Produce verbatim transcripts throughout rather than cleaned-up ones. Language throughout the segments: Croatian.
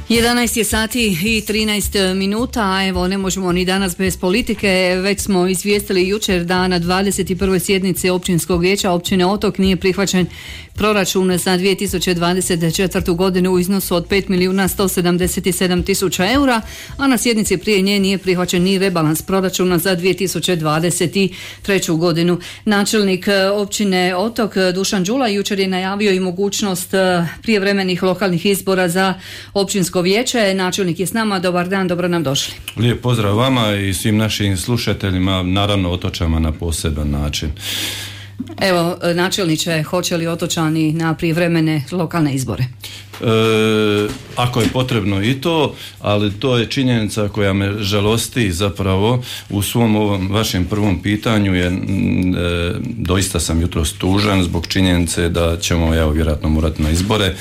jedanaest je sati i trinaest minuta, a evo ne možemo ni danas bez politike. Već smo izvijestili jučer da na dvadeset prvoj sjednici Općinskog vijeća općine Otok nije prihvaćen proračun za dvije tisuće dvadeset četvrtu godinu u iznosu od pet milijuna sto sedamdeset sedam tisuća eura, a na sjednici prije nje nije prihvaćen ni rebalans proračuna za dvije tisuće dvadeset treću godinu. Načelnik općine Otok Dušan Đula jučer je najavio i mogućnost prijevremenih lokalnih izbora za općinsko vijeće. Načelnik je s nama. Dobar dan, dobro nam došli. Lijep pozdrav vama i svim našim slušateljima, naravno Otočama na poseban način. Evo, načelniče, hoće li Otočani na prijevremene lokalne izbore? E, ako je potrebno i to, ali to je činjenica koja me žalosti zapravo u svom ovom vašem prvom pitanju je, e, doista sam jutros tužan zbog činjenice da ćemo evo vjerojatno morati na izbore.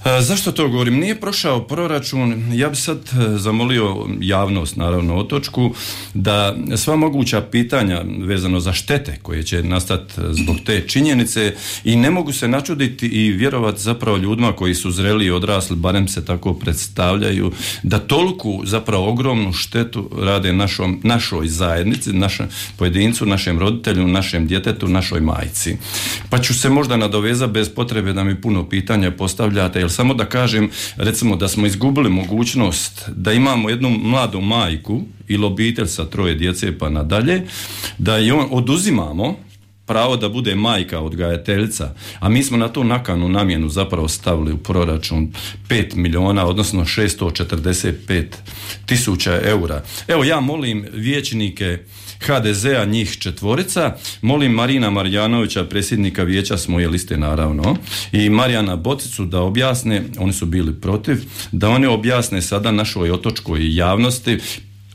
E, zašto to govorim? Nije prošao proračun. Ja bi sad zamolio javnost, naravno Otočku, da sva moguća pitanja vezano za štete koje će nastati zbog te činjenice, i ne mogu se načuditi i vjerovati zapravo ljudima koji su zreli i odrasli, barem se tako predstavljaju, da toliku zapravo ogromnu štetu rade našom, našoj zajednici, našem pojedincu, našem roditelju, našem djetetu, našoj majci. Pa ću se možda nadovezati bez potrebe da mi puno pitanja postavljate, jer samo da kažem, recimo da smo izgubili mogućnost da imamo jednu mladu majku ili obitelj sa troje djece pa nadalje, da je on oduzimamo pravo da bude majka odgajateljica, a mi smo na tu nakanu namjenu zapravo stavili u proračun pet milijuna, odnosno šesto četrdeset pet tisuća eura. Evo ja molim vijećnike ha de zea, njih četvorica, molim Marina Marjanovića, predsjednika vijeća s moje liste naravno, i Marijana Bocicu da objasne, oni su bili protiv, da oni objasne sada našoj otočkoj javnosti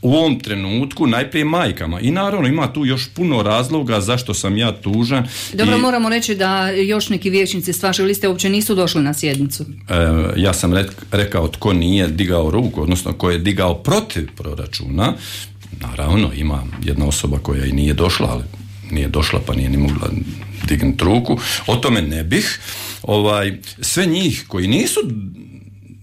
u ovom trenutku, najprije majkama, i naravno ima tu još puno razloga zašto sam ja tužan. Dobro, i, moramo reći da još neki vijećnici s vaše liste uopće nisu došli na sjednicu. E, ja sam rekao tko nije digao ruku, odnosno ko je digao protiv proračuna. Naravno ima jedna osoba koja i nije došla, ali nije došla pa nije ni mogla dignuti ruku. O tome ne bih. Ovaj, sve njih koji nisu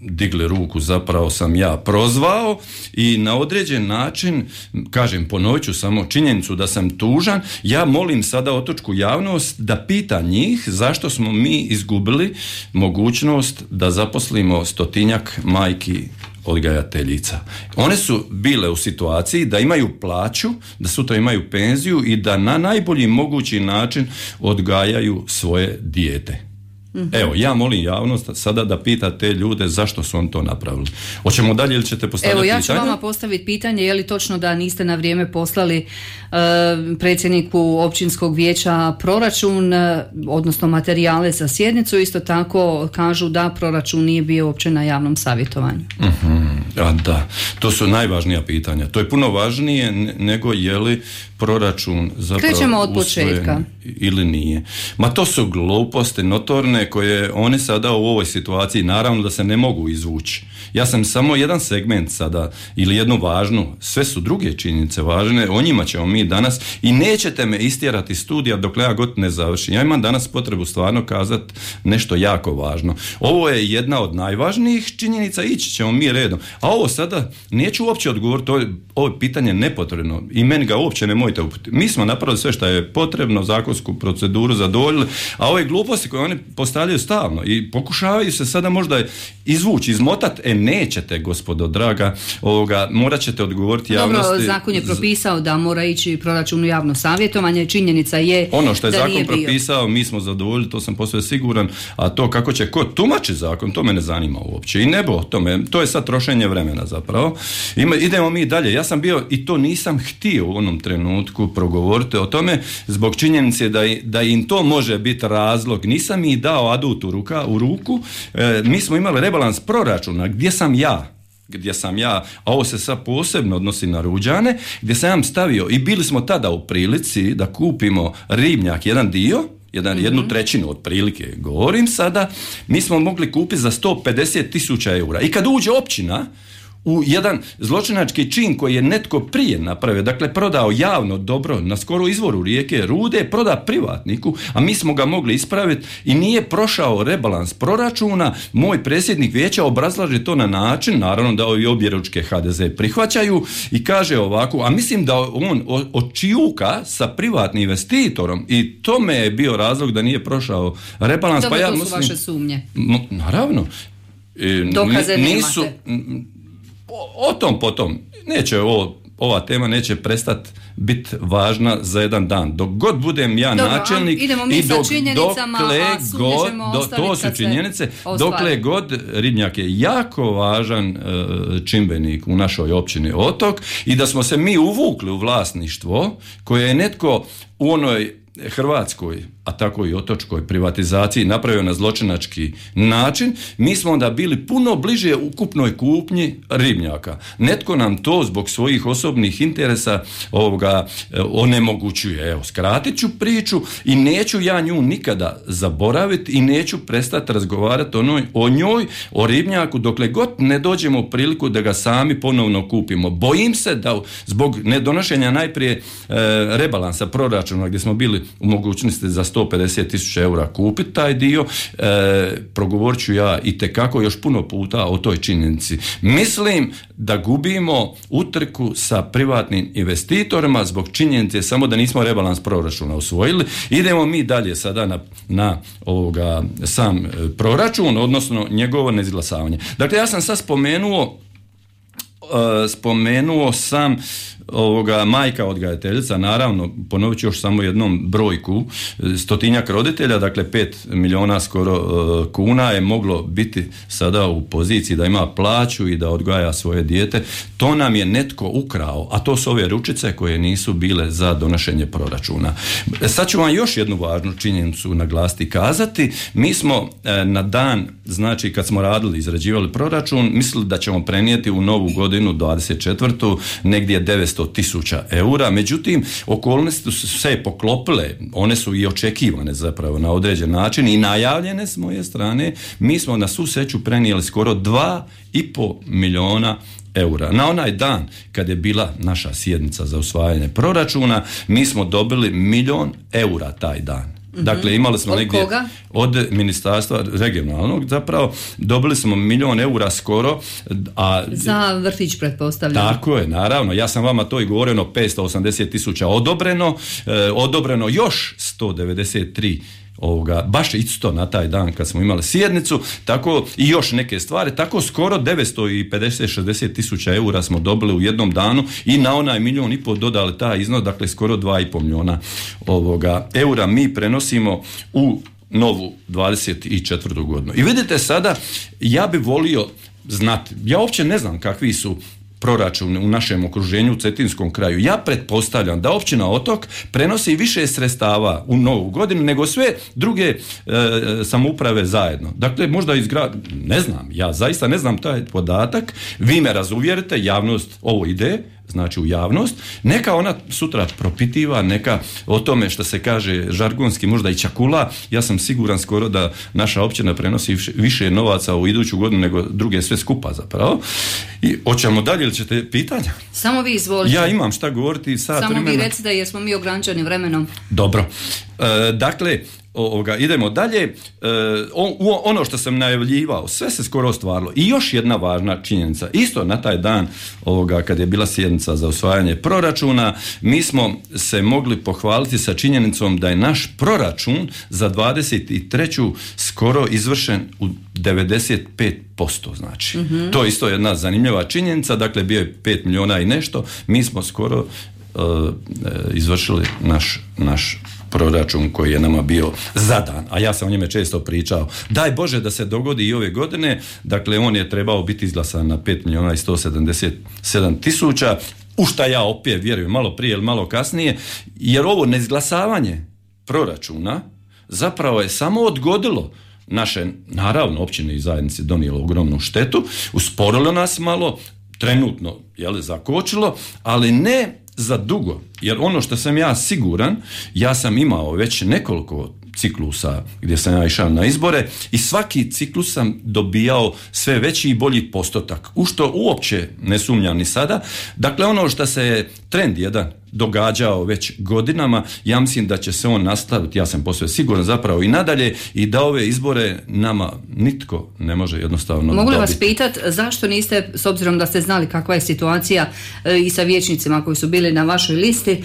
digli ruku zapravo sam ja prozvao i na određen način, kažem, ponovit ću samo činjenicu da sam tužan. Ja molim sada otočku javnost da pita njih zašto smo mi izgubili mogućnost da zaposlimo stotinjak majki odgajateljica. One su bile u situaciji da imaju plaću, da sutra imaju penziju i da na najbolji mogući način odgajaju svoje dijete. Evo, ja molim javnost sada da pita te ljude zašto su on to napravili. Hoćemo dalje ili ćete postaviti pitanje? Evo, ja ću pitanje? vama postaviti pitanje, je li točno da niste na vrijeme poslali uh, predsjedniku općinskog vijeća proračun, uh, odnosno materijale za sjednicu. Isto tako kažu da proračun nije bio uopće na javnom savjetovanju. Uh-huh. A da, to su najvažnija pitanja. To je puno važnije nego je li proračun zapravo krećemo od početka ili nije. Ma to su gluposti notorne koje one sada u ovoj situaciji naravno da se ne mogu izvući. Ja sam samo jedan segment sada ili jednu važnu, sve su druge činjenice važne, o njima ćemo mi danas i nećete me istjerati studija dok ja god ne završim. Ja imam danas potrebu stvarno kazati nešto jako važno. Ovo je jedna od najvažnijih činjenica, ići ćemo mi redom. A ovo sada neću uopće odgovoriti, ovo, ovo je pitanje nepotrebno i meni ga uopće ne mojte uputiti. Mi smo napravili sve što je potrebno, zakonsku proceduru zadovoljili, a ove gluposti koje oni postavljaju stalno i pokušavaju se sada možda izvući, izmotati, e nećete, gospodo draga, ovoga, morat ćete odgovoriti javnosti. Dobro, zakon je propisao da mora ići proračun u javno savjetovanje, činjenica je ono što je da zakon propisao, mi smo zadovoljili, to sam posve siguran, a to kako će ko tumači zakon, to me ne zanima uopće. I nebo tome, to je sad trošenje vremena zapravo. Ima, idemo mi dalje. Ja sam bio, i to nisam htio u onom trenutku progovoriti o tome, zbog činjenice da, da im to može biti razlog. Nisam i dao adut u, ruka, u ruku. E, mi smo imali rebalans proračuna, gdje sam ja? gdje sam ja, a ovo se sad posebno odnosi na Ruđane, gdje sam ja stavio i bili smo tada u prilici da kupimo ribnjak, jedan dio, jedan, mm-hmm. jednu trećinu otprilike, govorim sada, mi smo mogli kupiti za sto pedeset tisuća eura. I kad uđe općina u jedan zločinački čin koji je netko prije napravio, dakle prodao javno dobro na skoro izvoru rijeke Rude, proda privatniku, a mi smo ga mogli ispraviti i nije prošao rebalans proračuna. Moj predsjednik vijeća obrazlaže to na način, naravno da ovi objeručke ha de ze prihvaćaju, i kaže ovako, a mislim da on očijuka sa privatnim investitorom i tome je bio razlog da nije prošao rebalans. Dobro, pa ja to su mislim, vaše sumnje. M- naravno. E, Dokaze nisu, nemate. O, o tom potom. Neće ovo, ova tema neće prestati biti važna za jedan dan. Dok god budem ja Dobro, načelnik idemo mi i dok, sa činjenicama, dokle a sumnje god, ćemo do, ostaviti to su kad se činjenice, ostvari. dokle god Ribnjak je jako važan e, čimbenik u našoj općini Otok i da smo se mi uvukli u vlasništvo koje je netko u onoj Hrvatskoj, a tako i otočkoj privatizaciji napravio na zločinački način, mi smo onda bili puno bliže ukupnoj kupnji Ribnjaka. Netko nam to zbog svojih osobnih interesa ovoga onemogućuje. Evo, skratit ću priču i neću ja nju nikada zaboraviti i neću prestati razgovarati o njoj, o njoj, o Ribnjaku, dokle god ne dođemo u priliku da ga sami ponovno kupimo. Bojim se da zbog nedonošenja najprije e, rebalansa proračuna gdje smo bili u mogućnosti za sto pedeset tisuća eura kupiti taj dio, e, progovorit ću ja itekako još puno puta o toj činjenici. Mislim da gubimo utrku sa privatnim investitorima zbog činjenice samo da nismo rebalans proračuna usvojili. Idemo mi dalje sada na, na ovoga, sam proračun, odnosno njegovo neizglasavanje. Dakle, ja sam sad spomenuo Uh, spomenuo sam ovoga majka odgajateljica, naravno ponovit ću još samo jednom brojku, stotinjak roditelja, dakle pet milijuna skoro uh, kuna je moglo biti sada u poziciji da ima plaću i da odgaja svoje dijete. To nam je netko ukrao, a to su ove ručice koje nisu bile za donošenje proračuna. Sad ću vam još jednu važnu činjenicu naglasiti i kazati. Mi smo uh, na dan, znači kad smo radili, izrađivali proračun, mislili da ćemo prenijeti u novu godinu dvadeset četvrtu negdje devetsto tisuća eura, međutim okolnosti su se poklopile, one su i očekivane zapravo na određen način i najavljene s moje strane. Mi smo na svu sreću prenijeli skoro dva i pol milijuna eura. Na onaj dan kad je bila naša sjednica za usvajanje proračuna, mi smo dobili milijon eura taj dan. Dakle, imali smo od negdje koga? Od ministarstva regionalnog, zapravo dobili smo milijon eura skoro, a za vrtić pretpostavljam. Tako je, naravno. Ja sam vama to i govorio, petsto osamdeset tisuća odobreno, eh, odobreno još sto devedeset tri ovoga, baš isto na taj dan kad smo imali sjednicu, tako i još neke stvari, tako skoro devetsto pedeset šezdeset tisuća eura smo dobili u jednom danu i na onaj milijon i pol dodali taj iznos, dakle skoro dva i pol milijuna ovoga eura mi prenosimo u novu dvadeset četvrtu godinu. I vidite sada, ja bi volio znati, ja uopće ne znam kakvi su proračun u našem okruženju u Cetinskom kraju. Ja pretpostavljam da općina Otok prenosi više sredstava u novu godinu nego sve druge e, samouprave zajedno. Dakle, možda izgrad... Ne znam, ja zaista ne znam taj podatak. Vi me razuvjerite, javnost ovo ide, znači u javnost, neka ona sutra propitiva, neka o tome što se kaže žargonski možda i čakula. Ja sam siguran skoro da naša općina prenosi više novaca u iduću godinu nego druge sve skupa zapravo. I hoćemo dalje ili ćete pitanja? Samo vi izvolite. Ja imam šta govoriti sad. Samo vremena. vi recite jer smo mi ograničeni vremenom. Dobro. E, dakle, ovoga, idemo dalje. E, ono što sam najavljivao, sve se skoro ostvarilo. I još jedna važna činjenica. Isto na taj dan ovoga, kad je bila sjednica za usvajanje proračuna, mi smo se mogli pohvaliti sa činjenicom da je naš proračun za dvadeset treću skoro izvršen u devedeset pet posto. Znači. Mm-hmm. To je isto jedna zanimljiva činjenica. Dakle, bio je pet milijuna i nešto. Mi smo skoro uh, izvršili naš, naš proračun koji je nama bio zadan, a ja sam o njeme često pričao. Daj Bože da se dogodi i ove godine, dakle on je trebao biti izglasan na pet milijuna i sto sedamdeset sedam tisuća, u šta ja opet vjerujem malo prije ili malo kasnije, jer ovo neizglasavanje proračuna zapravo je samo odgodilo naše, naravno, općine i zajednice donijelo ogromnu štetu, usporilo nas malo, trenutno, jel, zakočilo, ali ne za dugo, jer ono što sam ja siguran, ja sam imao već nekoliko ciklusa gdje sam ja išao na izbore i svaki ciklus sam dobijao sve veći i bolji postotak, u što uopće ne sumnjam ni sada. Dakle, ono što se je trend jedan događao već godinama, ja mislim da će se on nastaviti, ja sam posve siguran zapravo i nadalje, i da ove izbore nama nitko ne može jednostavno Mogu li dobiti. vas pitati zašto niste, s obzirom da ste znali kakva je situacija e, i sa vijećnicima koji su bili na vašoj listi, e,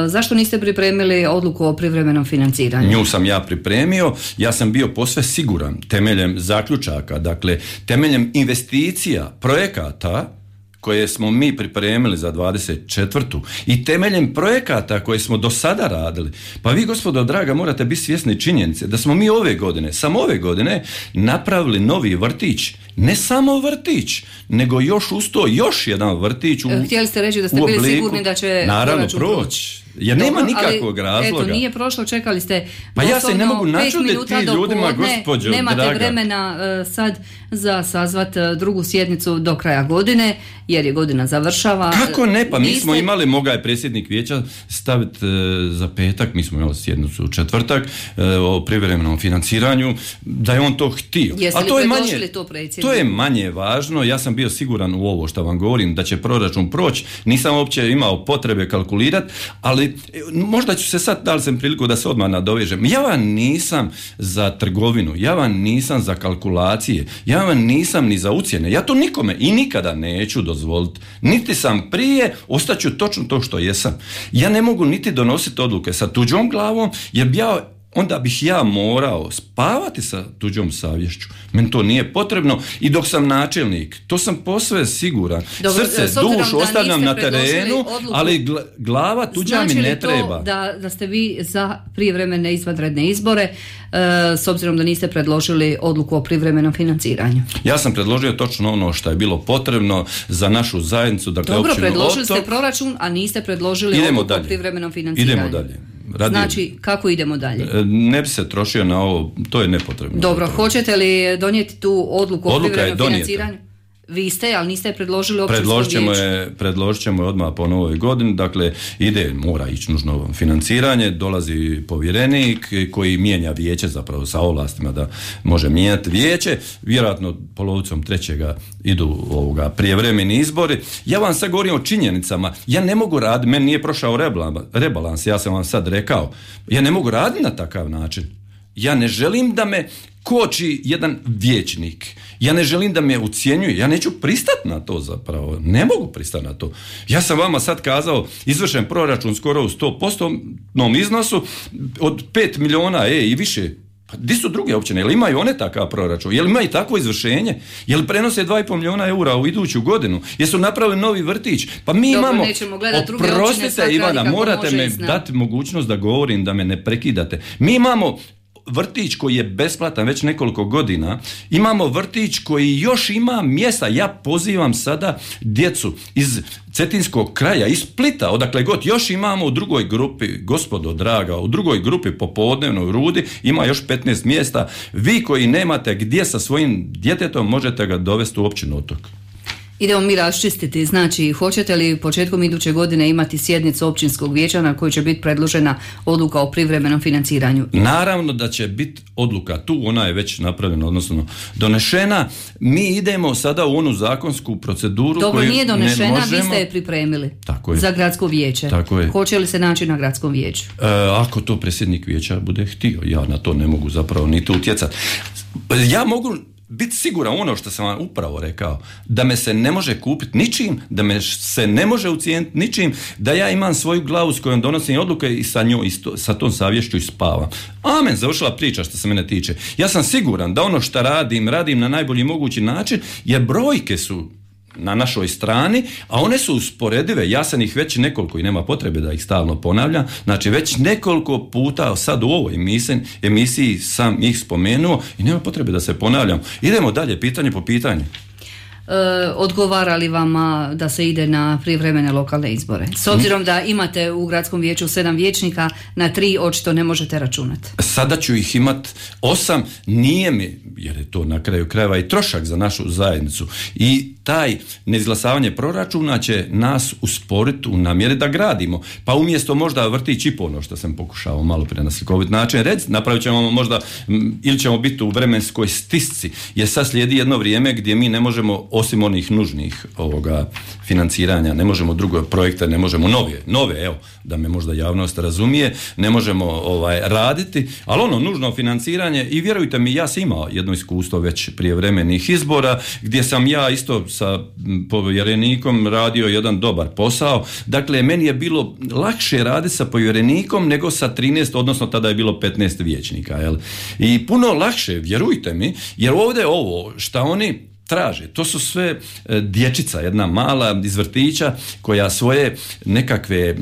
zašto niste pripremili odluku o privremenom financiranju? Nju sam ja pripremio, ja sam bio posve siguran temeljem zaključaka, dakle temeljem investicija, projekata koje smo mi pripremili za dvadeset četvrtu i temeljem projekata koje smo do sada radili. Pa vi, gospodo draga, morate biti svjesni činjenice da smo mi ove godine, samo ove godine, napravili novi vrtić. Ne samo vrtić, nego još uz to još jedan vrtić u Htjeli ste reći da ste bili obliku, sigurni da će naravno proći. Jer Dobro, nema nikakvog ali, razloga. Eto, nije prošlo, čekali ste pa ja se ne mogu načuditi ti ljudima, gospođo nemate draga. vremena uh, sad za sazvat uh, drugu sjednicu do kraja godine, jer je godina završava. Kako ne, pa mi Niste... smo imali, mogao je predsjednik vijeća staviti uh, za petak, mi smo imali sjednicu u četvrtak uh, o privremenom financiranju, da je on to htio. Jeste A to li je manje, predložili to predsjedniku? To je manje važno, ja sam bio siguran u ovo što vam govorim, da će proračun proći, nisam uopće imao potrebe kalkulirati, ali možda ću se sad, dali sam priliku da se odmah nadovežem. Ja vam nisam za trgovinu, ja vam nisam za kalkulacije, ja vam nisam ni za ucjene. Ja to nikome i nikada neću dozvoliti. Niti sam prije, ostaću točno to što jesam. Ja ne mogu niti donositi odluke sa tuđom glavom, jer bi ja onda bih ja morao spavati sa tuđom savješću. Meni to nije potrebno i dok sam načelnik, to sam posve siguran. Dobro, srce, dušu ostavljam na terenu, odluku, ali gla, glava tuđa znači mi ne to treba. Da, da ste vi za prijevremene izvanredne izbore, e, s obzirom da niste predložili odluku o privremenom financiranju? Ja sam predložio točno ono što je bilo potrebno za našu zajednicu. Dakle, Dobro, općinu predložili Otok. ste proračun, a niste predložili Idemo odluku dalje. o privremenom financiranju. Idemo dalje. Radi... Znači, kako idemo dalje? Ne bi se trošio na ovo, to je nepotrebno. Dobro, hoćete li donijeti tu odluku o Odluka privremenom je financiranju? Vi ste, ali niste predložili općinsko Predložit ćemo vijeće. je, predložit ćemo je odmah po novoj godini, dakle ide, mora ići nužno financiranje, dolazi povjerenik koji mijenja vijeće zapravo sa ovlastima da može mijenjati vijeće, vjerojatno polovicom trećega idu ovoga prijevremeni izbori. Ja vam sad govorim o činjenicama, ja ne mogu raditi, meni nije prošao rebalans, ja sam vam sad rekao, ja ne mogu raditi na takav način. Ja ne želim da me koči jedan vijećnik. Ja ne želim da me ucjenjuje. Ja neću pristati na to zapravo. Ne mogu pristati na to. Ja sam vama sad kazao, izvršen proračun skoro u sto posto iznosu od pet milijuna e, i više. Pa gdje su druge općine? Jel imaju one takav proračun? Jel imaju takvo izvršenje? Jel prenose dva i pol milijuna eura u iduću godinu? Jesu napravili novi vrtić? Pa mi Dobro, imamo... nećemo gledati druge općine, Oprostite, svak Ivana, radi kako morate može me i zna. dati mogućnost da govorim, da me ne prekidate. Mi imamo vrtić koji je besplatan već nekoliko godina, imamo vrtić koji još ima mjesta. Ja pozivam sada djecu iz Cetinskog kraja, iz Splita, odakle god, još imamo u drugoj grupi, gospodo draga, u drugoj grupi popodnevnoj Rudi ima još petnaest mjesta. Vi koji nemate gdje sa svojim djetetom, možete ga dovesti u općinu Otok. Idemo mi raščistiti, znači hoćete li početkom iduće godine imati sjednicu općinskog vijeća na kojoj će biti predložena odluka o privremenom financiranju? Naravno da će biti odluka tu, ona je već napravljena, odnosno donešena. Mi idemo sada u onu zakonsku proceduru. Dobro, koju nije donešena, ne možemo... vi ste je pripremili. Tako je. Za gradsko vijeće. Tako je. Hoće li se naći na gradskom vijeću? E, ako to predsjednik vijeća bude htio, ja na to ne mogu zapravo niti utjecati. Ja mogu biti siguran ono što sam vam upravo rekao, da me se ne može kupiti ničim, da me se ne može ucijeniti ničim, da ja imam svoju glavu s kojom donosim odluke i sa njoj, isto, sa tom savješću i spavam. Amen, završila priča što se mene tiče. Ja sam siguran da ono što radim, radim na najbolji mogući način, jer brojke su na našoj strani, a one su usporedive. Ja sam ih već nekoliko, i nema potrebe da ih stalno ponavljam, znači već nekoliko puta sad u ovoj emisiji, emisiji sam ih spomenuo i nema potrebe da se ponavljam. Idemo dalje, pitanje po pitanju. E, odgovara li vama da se ide na prijevremene lokalne izbore? S obzirom da imate u gradskom vijeću sedam vijećnika, na tri očito ne možete računati. Sada ću ih imat osam, nije mi, jer je to na kraju krajeva i trošak za našu zajednicu. I taj neizglasavanje proračuna će nas usporiti u namjeri da gradimo. Pa umjesto možda vrtić i ono što sam pokušao malo prije na slikovit način reći, napravit ćemo možda, ili ćemo biti u vremenskoj stisci, jer sad slijedi jedno vrijeme gdje mi ne možemo, osim onih nužnih ovoga financiranja, ne možemo druge projekte, ne možemo nove, nove, evo, da me možda javnost razumije, ne možemo ovaj, raditi, ali ono nužno financiranje, i vjerujte mi, ja sam imao jedno iskustvo već prije vremenih izbora, gdje sam ja isto sa povjerenikom radio jedan dobar posao. Dakle, meni je bilo lakše raditi sa povjerenikom nego sa trinaest, odnosno tada je bilo petnaest vijećnika. Jel? I puno lakše, vjerujte mi, jer ovdje ovo šta oni traže, to su sve e, dječica, jedna mala iz vrtića koja svoje nekakve e,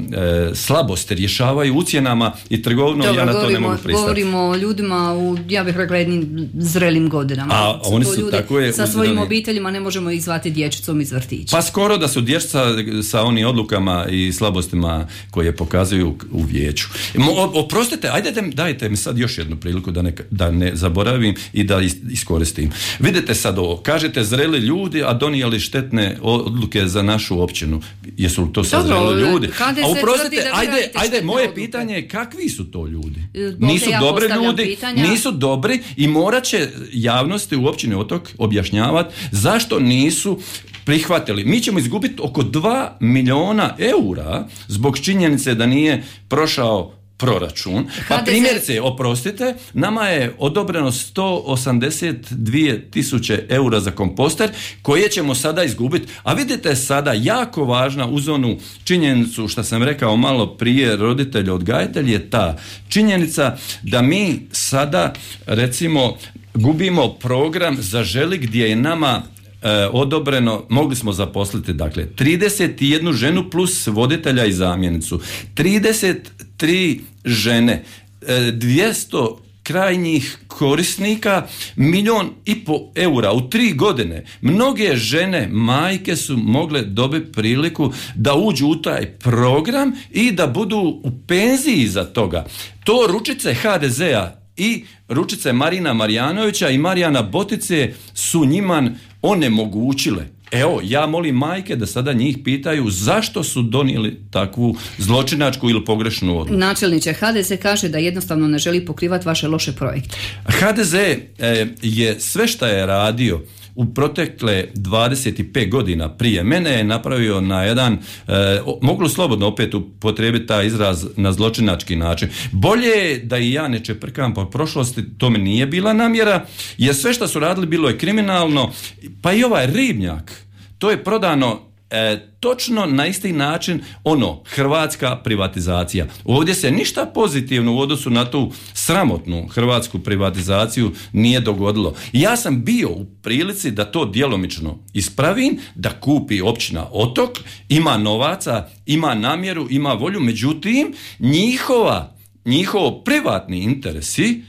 slabosti rješavaju ucjenama i trgovinom. Dobro, ja na to govorimo, ne mogu pristati. Govorimo o ljudima u, ja bih rekla, jednim zrelim godinama. A oni su ljudi, tako je, sa svojim uzreli. Obiteljima ne možemo ih zvati dječicom iz vrtića. Pa skoro da su dječica sa onim odlukama i slabostima koje pokazuju u vijeću. O, oprostite, ajde dajte mi sad još jednu priliku da ne, da ne zaboravim i da iskoristim. Vidite sad ovo, kažete zreli ljudi, a donijeli štetne odluke za našu općinu. Jesu li to sad zreli ljudi? A uprostite, ajde, ajde moje odluke. Pitanje je kakvi su to ljudi? Ovdje nisu ja dobri ljudi, pitanja. Nisu dobri i morat će javnosti u općini Otok objašnjavati zašto nisu prihvatili. Mi ćemo izgubiti oko dva milijuna eura zbog činjenice da nije prošao proračun. Pa primjerice, oprostite, nama je odobreno sto osamdeset dvije tisuće eura za komposter koje ćemo sada izgubiti. A vidite sada, jako važna uz onu činjenicu što sam rekao malo prije, roditelj odgajatelj, je ta činjenica da mi sada recimo gubimo program Zaželi gdje je nama E, odobreno, mogli smo zaposliti dakle trideset jednu ženu plus voditelja i zamjenicu, trideset tri žene, e, dvjesto krajnjih korisnika, milijun i po eura u tri godine. Mnoge žene, majke su mogle dobiti priliku da uđu u taj program i da budu u penziji za toga. To ručice ha de zea i ručice Marina Marjanovića i Marijana Botice su njima onemogućile. Evo, ja molim majke da sada njih pitaju zašto su donijeli takvu zločinačku ili pogrešnu odluku. Načelniče, ha de ze kaže da jednostavno ne želi pokrivati vaše loše projekte. ha de ze e, je sve što je radio u protekle dvadeset pet godina prije mene je napravio na jedan, e, mogu slobodno opet upotrijebiti taj izraz, na zločinački način. Bolje je da i ja ne čeprkam po prošlosti, to mi nije bila namjera, jer sve što su radili bilo je kriminalno, pa i ovaj ribnjak, to je prodano E, točno na isti način, ono, hrvatska privatizacija. Ovdje se ništa pozitivno u odnosu na tu sramotnu hrvatsku privatizaciju nije dogodilo. Ja sam bio u prilici da to djelomično ispravim, da kupi općina Otok, ima novaca, ima namjeru, ima volju, međutim, njihova, njihovo privatni interesi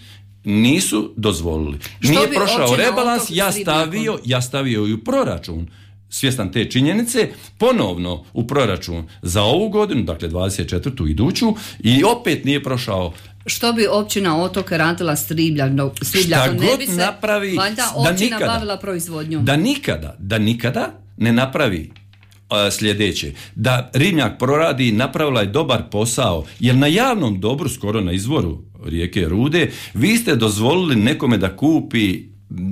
nisu dozvolili. Što nije prošao rebalans, ja stavio, ja stavio i u proračun. Svjestan te činjenice, ponovno u proračun za ovu godinu, dakle dvadeset četvrtu iduću, i opet nije prošao. Što bi općina Otok radila s ribljakom? Šta god ne bi se, napravi, valjda općina nikada, bavila proizvodnjom. Da nikada, da nikada ne napravi uh, sljedeće. Da ribnjak proradi, napravila je dobar posao, jer na javnom dobru, skoro na izvoru rijeke Rude, vi ste dozvolili nekome da kupi,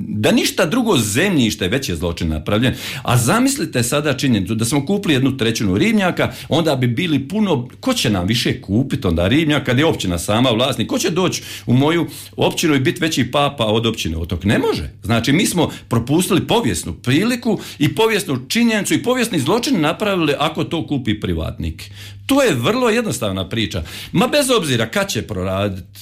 da ništa drugo zemljište, već je zločin napravljen. A zamislite sada činjenicu da smo kupili jednu trećinu ribnjaka, onda bi bili puno, ko će nam više kupiti onda ribnjak kad je općina sama vlasnik, ko će doći u moju općinu i biti veći papa od općine Otok? Ne može. Znači mi smo propustili povijesnu priliku i povijesnu činjenicu i povijesni zločin napravili ako to kupi privatnik. To je vrlo jednostavna priča. Ma bez obzira kad će proraditi,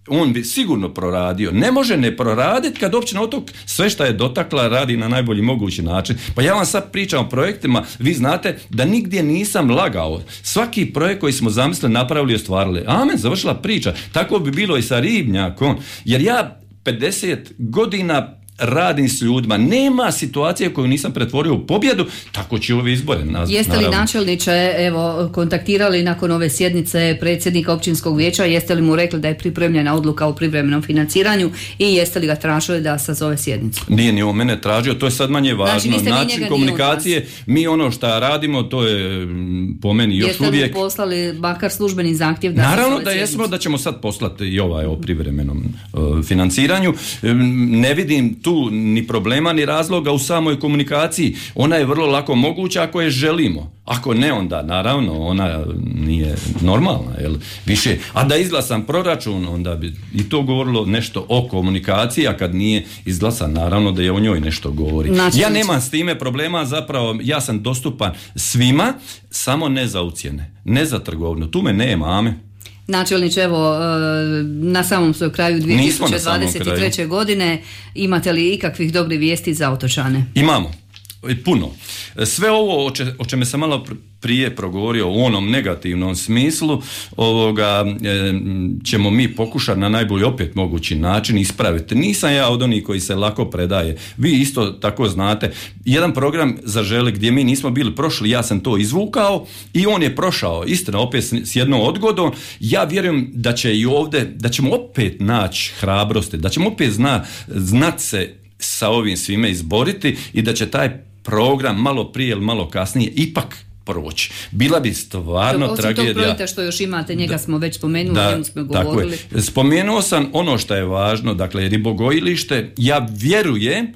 on bi sigurno proradio. Ne može ne proraditi kad općina Otok sve što je dotakla radi na najbolji mogući način. Pa ja vam sad pričam o projektima, vi znate da nigdje nisam lagao. Svaki projekt koji smo zamislili, napravili i ostvarili. Amen, završila priča. Tako bi bilo i sa ribnjakom. Jer ja pedeset godina radim s ljudima. Nema situacije koju nisam pretvorio u pobjedu, tako će ove izbore. Naz, jeste li načelniče evo, kontaktirali nakon ove sjednice predsjednika općinskog vijeća, jeste li mu rekli da je pripremljena odluka o privremenom financiranju i jeste li ga tražili da sazove sjednicu? Nije ni on mene tražio, to je sad manje važno. Znači, način komunikacije, mi ono što radimo, to je po meni još jeste uvijek... Jeste li poslali bakar službeni zahtjev da naravno se da jesmo, da ćemo sad poslati i ovaj o privremenom uh, financiranju. Ne vidim tu ni problema ni razloga u samoj komunikaciji. Ona je vrlo lako moguća ako je želimo. Ako ne, onda naravno ona nije normalna, jel? Više. A da izglasam proračun, onda bi i to govorilo nešto o komunikaciji, a kad nije izglasan, naravno da je o njoj nešto govori. Znači, ja nemam s time problema, zapravo ja sam dostupan svima, samo ne za ucjene, ne za trgovinu. Tu me nema, ame. Načelniče, evo, na samom svoj kraju dvije tisuće dvadeset treće godine, imate li ikakvih dobrih vijesti za otočane? Imamo. Puno. Sve ovo o, če, o čemu sam malo prije progovorio u onom negativnom smislu ovoga e, ćemo mi pokušati na najbolji opet mogući način ispraviti. Nisam ja od onih koji se lako predaje. Vi isto tako znate. Jedan program Zaželi gdje mi nismo bili prošli, ja sam to izvukao i on je prošao. Istina, opet s jednom odgodom. Ja vjerujem da će i ovdje, da ćemo opet naći hrabrosti, da ćemo opet zna, znat se sa ovim svime izboriti i da će taj program malo prije ili malo kasnije ipak proći. Bila bi stvarno osim tragedija. Osim tog projekta što još imate, njega da, smo već spomenuli, da, o njemu smo govorili. Tako je. Spomenuo sam ono što je važno, dakle ribogojilište, ja vjerujem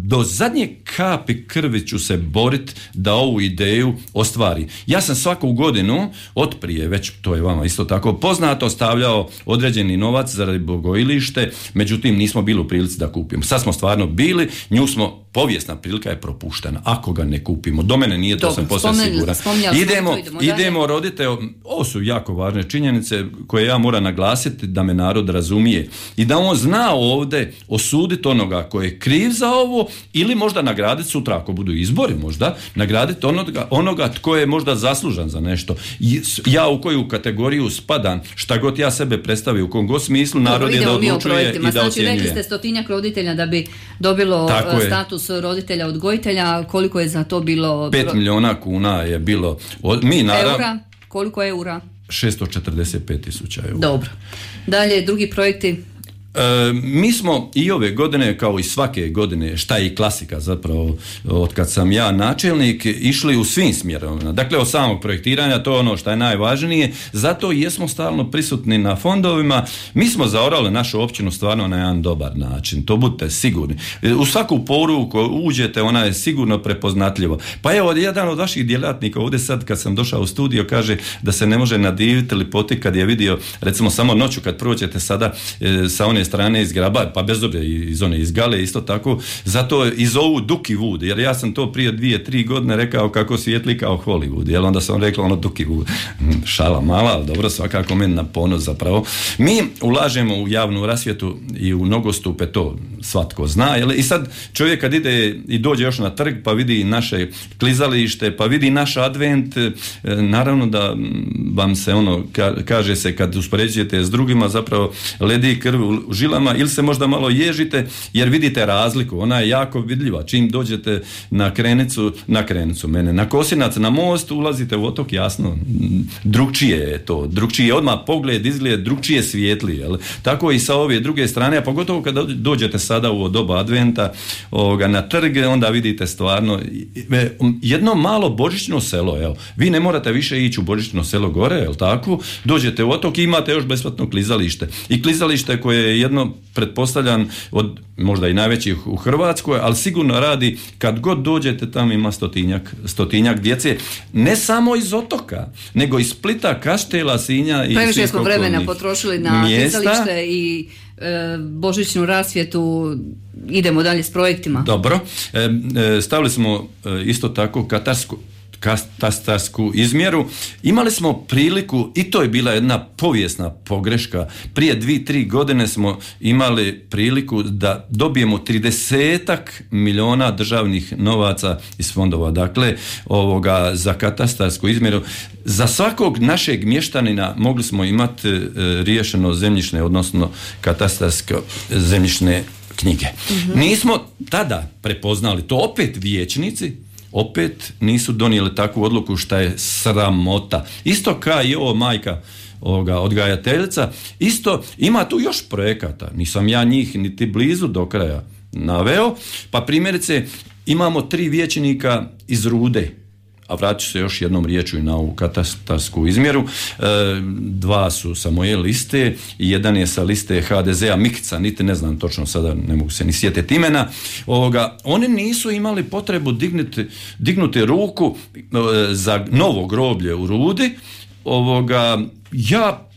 do zadnje kapi krvi ću se boriti da ovu ideju ostvari. Ja sam svaku godinu, od prije, već to je vama isto tako poznato, stavljao određeni novac za ribogojilište, međutim nismo bili u prilici da kupimo. Sad smo stvarno bili, nju smo, povijesna prilika je propuštena, ako ga ne kupimo. Do mene nije, to Dobre, sam posve siguran. Idemo, idemo, idemo rodite, ovo su jako važne činjenice koje ja moram naglasiti da me narod razumije i da on zna ovdje osuditi onoga koji je kriv za ovo ili možda nagraditi sutra ako budu izbori, možda nagraditi onoga, onoga tko je možda zaslužan za nešto. Ja u koju kategoriju spadam, šta god ja sebe predstavio, u kom god smislu, narod Dobro, je da odlučuje i da znači, ocjenjuje. Rekli ste stotinjak roditelja da bi dobilo Tako status je. roditelja odgojitelja, koliko je za to bilo? Pet milijuna kuna je bilo. Mi naravno, eura? Koliko eura? šesto četrdeset pet tisuća eura. Dobro. Dalje, drugi projekti? E, mi smo i ove godine, kao i svake godine, šta je i klasika zapravo, od kad sam ja načelnik, išli u svim smjerovima. Dakle, od samog projektiranja, to je ono što je najvažnije, zato jesmo stalno prisutni na fondovima. Mi smo zaorali našu općinu stvarno na jedan dobar način, to budite sigurni. U svaku poruku uđete, ona je sigurno prepoznatljiva. Pa evo, jedan od vaših djelatnika ovdje sad, kad sam došao u studio, kaže da se ne može nadiviti lipoti kad je vidio, recimo samo noću kad prođete sada e, sa one strane iz Graba, pa bez obzira iz one iz Gale isto tako, zato i zovu Duki Wood, jer ja sam to prije dvije, tri godine rekao kako svijetli kao Hollywood, jer onda sam rekao ono Duki Wood. Šala mala, ali dobro, svakako meni na ponos zapravo. Mi ulažemo u javnu rasvjetu i u nogostupe, to svatko zna, jel? I sad čovjek kad ide i dođe još na trg, pa vidi naše klizalište, pa vidi naš advent, naravno da vam se ono, kaže se kad uspoređujete s drugima, zapravo ledi krv u žilama ili se možda malo ježite jer vidite razliku, ona je jako vidljiva. Čim dođete na krenicu, na krenicu mene, na Kosinac, na most, ulazite u otok, jasno, drugčije je to, drugčije je odmah pogled, izgled, drugčije svijetli, jel? Tako i sa ove druge strane, a pogotovo kada dođete sada u doba adventa ovoga, na trg, onda vidite stvarno jedno malo božićno selo, evo, vi ne morate više ići u božićno selo gore, jel tako? Dođete u otok i imate još besplatno klizalište. I klizalište koje je jedno, pretpostavljam, od možda i najvećih u Hrvatskoj, ali sigurno radi, kad god dođete tamo ima stotinjak, stotinjak djece, ne samo iz otoka, nego iz Splita, Kaštela, Sinja i previše smo vremena potrošili na klizalište i e, božićnu rasvjetu, idemo dalje s projektima. Dobro, e, e, stavili smo e, isto tako katarsku katastarsku izmjeru. Imali smo priliku, i to je bila jedna povijesna pogreška, prije dvije, tri godine smo imali priliku da dobijemo tridesetak milijuna državnih novaca iz fondova, dakle ovoga za katastarsku izmjeru. Za svakog našeg mještanina mogli smo imati e, riješeno zemljišne, odnosno katastarske zemljišne knjige. Mm-hmm. Nismo tada prepoznali to, opet vijećnici opet nisu donijeli takvu odluku šta je sramota. Isto kao i ovo majka ovoga odgajateljica, isto ima tu još projekata, nisam ja njih niti blizu do kraja naveo, pa primjerice imamo tri vijećnika iz Rude, a vratit ću se još jednom riječju i na ovu katastarsku izmjeru. E, dva su sa moje liste i jedan je sa liste ha de zea Mikica, niti ne znam točno sada, ne mogu se ni sjetiti imena. Ovoga, oni nisu imali potrebu dignuti, dignuti ruku e, za novo groblje u Rudi. Ovoga, ja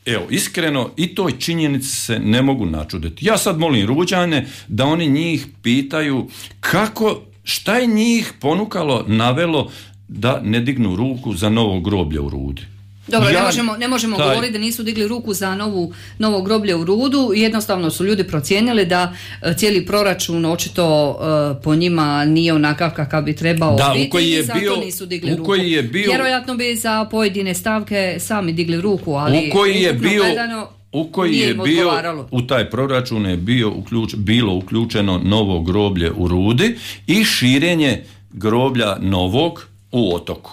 evo, iskreno, i toj činjenici se ne mogu načuditi. Ja sad molim Ruđane da oni njih pitaju kako, šta je njih ponukalo, navelo da ne dignu ruku za novo groblje u Rudi. Dobro, ja, ne možemo, ne možemo taj... govoriti da nisu digli ruku za novu, novo groblje u Rudu, jednostavno su ljudi procijenili da cijeli proračun očito uh, po njima nije onakav kakav bi trebao da, biti u koji je i zato bio, nisu digli u ruku. Koji je bio, vjerojatno bi za pojedine stavke sami digli ruku, ali u koji je bio, gledano, u koji je bio, u taj proračun je bio uključ, bilo uključeno novo groblje u Rudi i širenje groblja novog u Otoku.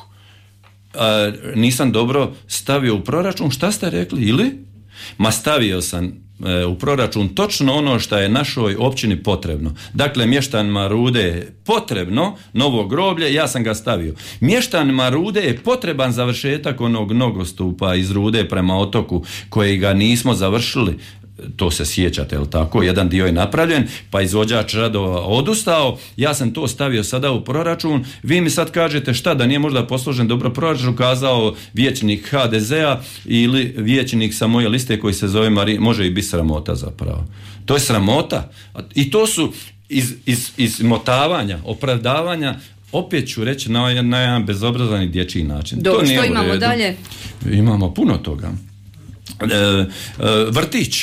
A, nisam dobro stavio u proračun, šta ste rekli, ili? Ma stavio sam e, u proračun točno ono što je našoj općini potrebno. Dakle, mještanima Rude je potrebno novo groblje, ja sam ga stavio. Mještanima Rude je potreban završetak onog nogostupa iz Rude prema Otoku, kojega nismo završili. To se sjećate, jel tako? Jedan dio je napravljen, pa izvođač radova odustao, ja sam to stavio sada u proračun, vi mi sad kažete šta, da nije možda posložen dobro proračun, kazao vijećnik ha de zea ili vijećnik sa moje liste koji se zove Marija, može i biti sramota zapravo. To je sramota i to su iz, iz, izmotavanja, opravdavanja, opet ću reći na, na jedan bezobrazan i dječji način. Dobro, to nije što imamo dalje? Imamo puno toga. E, e, vrtić.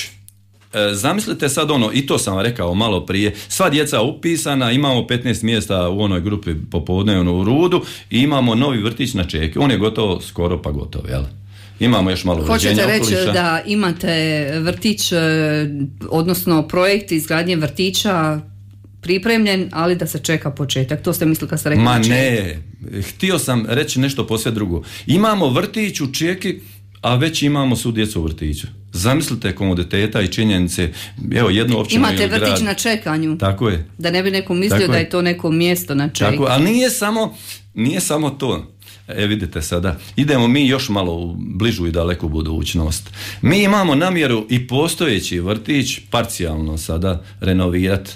Zamislite sad ono, i to sam vam rekao malo prije, sva djeca upisana, imamo petnaest mjesta u onoj grupi popodnevno u Rudu i imamo novi vrtić na čeki. On je gotovo, skoro pa gotov, jel? Imamo još malo uređenja okoliša. Hoćete reći da imate vrtić, odnosno projekt izgradnje vrtića pripremljen, ali da se čeka početak. To ste mislili kad ste rekli? Ma ne, htio sam reći nešto posve drugo. Imamo vrtić u čeki, a već imamo svu djecu u vrtiću. Zamislite komoditeta i činjenice, evo jednu općinu imate vrtić grad. Na čekanju. Tako je. Da ne bi neko mislio Tako da je. je to neko mjesto na čekanju. Tako, ali nije samo, nije samo to. E vidite sada, idemo mi još malo u bližu i daleku budućnost. Mi imamo namjeru i postojeći vrtić parcijalno sada renovirati.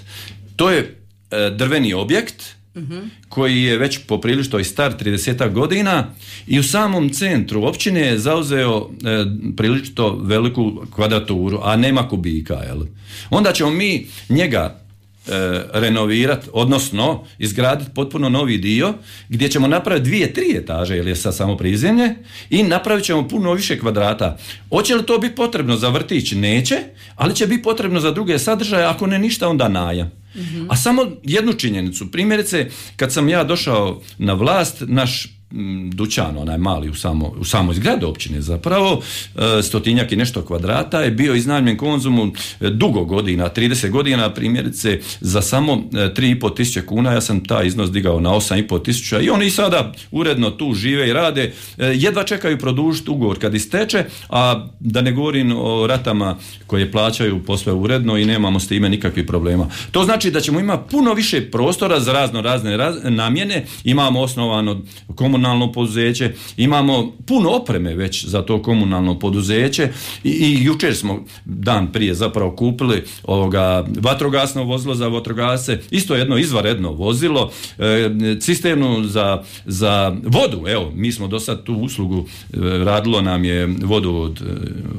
To je e, drveni objekt, uh-huh. koji je već poprilično i star tridesetak godina i u samom centru općine je zauzeo e, prilično veliku kvadraturu, a nema kubika, jel? Onda ćemo mi njega e, renovirati, odnosno izgraditi potpuno novi dio gdje ćemo napraviti dvije, tri etaže, jer je sad samo prizemlje, i napravit ćemo puno više kvadrata. Hoće li to biti potrebno za vrtić? Neće, ali će biti potrebno za druge sadržaje, ako ne ništa, onda najam. Mm-hmm. A samo jednu činjenicu, primjerice, kad sam ja došao na vlast, naš m, dućan, onaj mali u, samo, u samoj zgradi općine zapravo, e, stotinjak i nešto kvadrata, je bio iznajmljen Konzumu e, dugo godina, trideset godina, primjerice, za samo e, tri i pol tisuće kuna, ja sam taj iznos digao na osam i pol tisuća i oni i sada uredno tu žive i rade, e, jedva čekaju produžiti ugovor kad isteče, a da ne govorim o ratama koje plaćaju posve uredno i nemamo s time nikakvih problema. To znači da ćemo imati puno više prostora za razno razne raz, namjene, imamo osnovano komunalno poduzeće, imamo puno opreme već za to komunalno poduzeće i, i jučer smo dan prije zapravo kupili ovoga vatrogasno vozilo za vatrogasce, isto jedno izvanredno vozilo, e, cisternu za, za vodu, evo, mi smo do sad tu uslugu e, radilo nam je vodu od, e,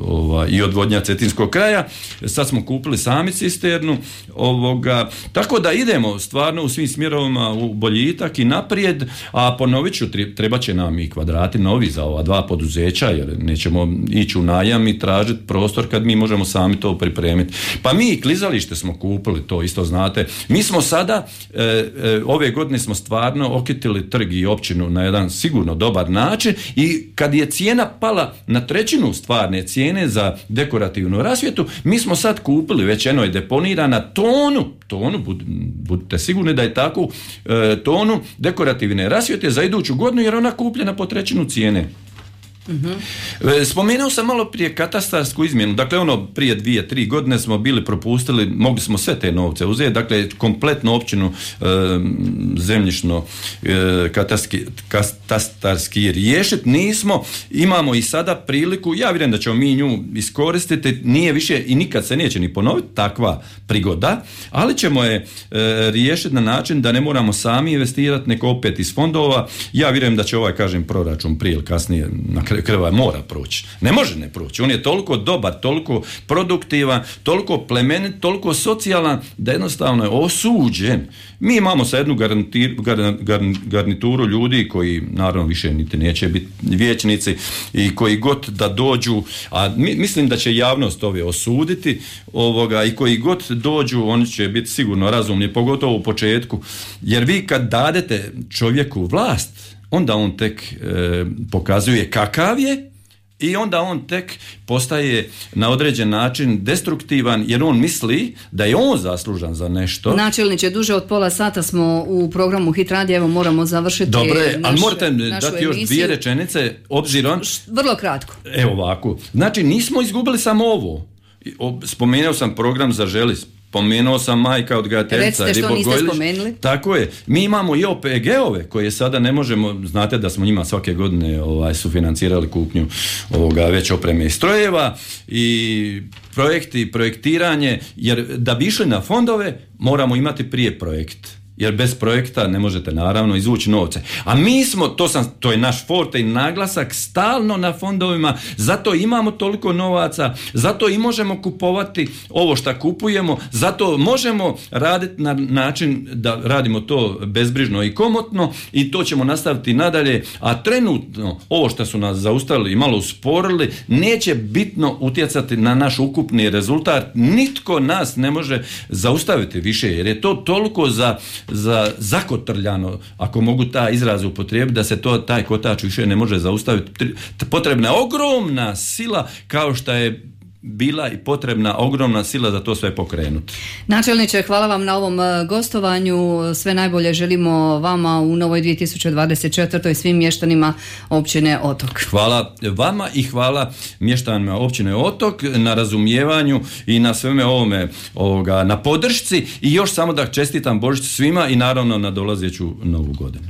ova, i odvodnja Cetinskog kraja, sad smo kupili sami cisternu, ovoga, tako da idemo stvarno u svim smjerovima u boljitak i naprijed, a ponovit ću, treba će nam i kvadrati novi za ova dva poduzeća, jer nećemo ići u najam i tražiti prostor kad mi možemo sami to pripremiti. Pa mi i klizalište smo kupili, to isto znate. Mi smo sada, e, e, ove godine smo stvarno okitili trg i općinu na jedan sigurno dobar način i kad je cijena pala na trećinu stvarne cijene za dekorativnu rasvjetu, mi smo sad kupili, već eno je deponirana tonu, tonu, bud, budite sigurni da je tako, e, tonu dekorativne rasvjete za iduću godinu, jer ona kupljena po trećinu cijene. Mm-hmm. Spomenuo sam malo prije katastarsku izmjenu, dakle ono prije dvije, tri godine smo bili propustili, mogli smo sve te novce uzeti, dakle kompletnu općinu e, zemljišno e, katastarski, katastarski riješiti nismo, imamo i sada priliku, ja vjerujem da ćemo mi nju iskoristiti, nije više i nikad se neće ni ponoviti takva prigoda, ali ćemo je e, riješiti na način da ne moramo sami investirati, nego opet iz fondova. Ja vjerujem da će ovaj, kažem, proračun prije ili kasnije na krva mora proći. Ne može ne proći. On je toliko dobar, toliko produktivan, toliko plemenit, toliko socijalan, da jednostavno je osuđen. Mi imamo sad jednu garantir, gar, gar, garnituru ljudi koji naravno više niti neće biti vijećnici i koji god da dođu, a mi, mislim da će javnost ove osuditi ovoga, i koji god dođu, oni će biti sigurno razumni, pogotovo u početku, jer vi kad dadete čovjeku vlast, onda on tek e, pokazuje kakav je i onda on tek postaje na određen način destruktivan, jer on misli da je on zaslužan za nešto. Načelniče, duže od pola sata smo u programu Hit radija, evo moramo završiti. Dobre, naš, ali morate dati još dvije rečenice obzirom. Vrlo kratko. Evo ovako. Znači, nismo izgubili samo ovo. Spomenuo sam program Zaželi, spomenuo sam majka odgajateljica. Recite što niste spomenuli. Tako je. Mi imamo i O P G-ove koje sada ne možemo, znate da smo njima svake godine ovaj, sufinancirali kupnju ovoga već opreme i strojeva i projekti, projektiranje, jer da bi išli na fondove moramo imati prije projekt. Jer bez projekta ne možete naravno izvući novce. A mi smo, to, sam, to je naš forte i naglasak, stalno na fondovima, zato imamo toliko novaca, zato i možemo kupovati ovo što kupujemo, zato možemo raditi na način da radimo to bezbrižno i komotno i to ćemo nastaviti nadalje, a trenutno ovo što su nas zaustavili i malo usporili neće bitno utjecati na naš ukupni rezultat. Nitko nas ne može zaustaviti više, jer je to toliko za za zakotrljano, ako mogu taj izraz upotrijebiti, da se to, taj kotač više ne može zaustaviti. Potrebna je ogromna sila, kao što je bila i potrebna ogromna sila za to sve pokrenuti. Načelniče, hvala vam na ovom gostovanju. Sve najbolje želimo vama u novoj dvije tisuće dvadeset četvrtoj svim mještanima općine Otok. Hvala vama i hvala mještanima općine Otok na razumijevanju i na sveme ovome ovoga, na podršci i još samo da čestitam Božić svima i naravno na dolazeću novu godinu.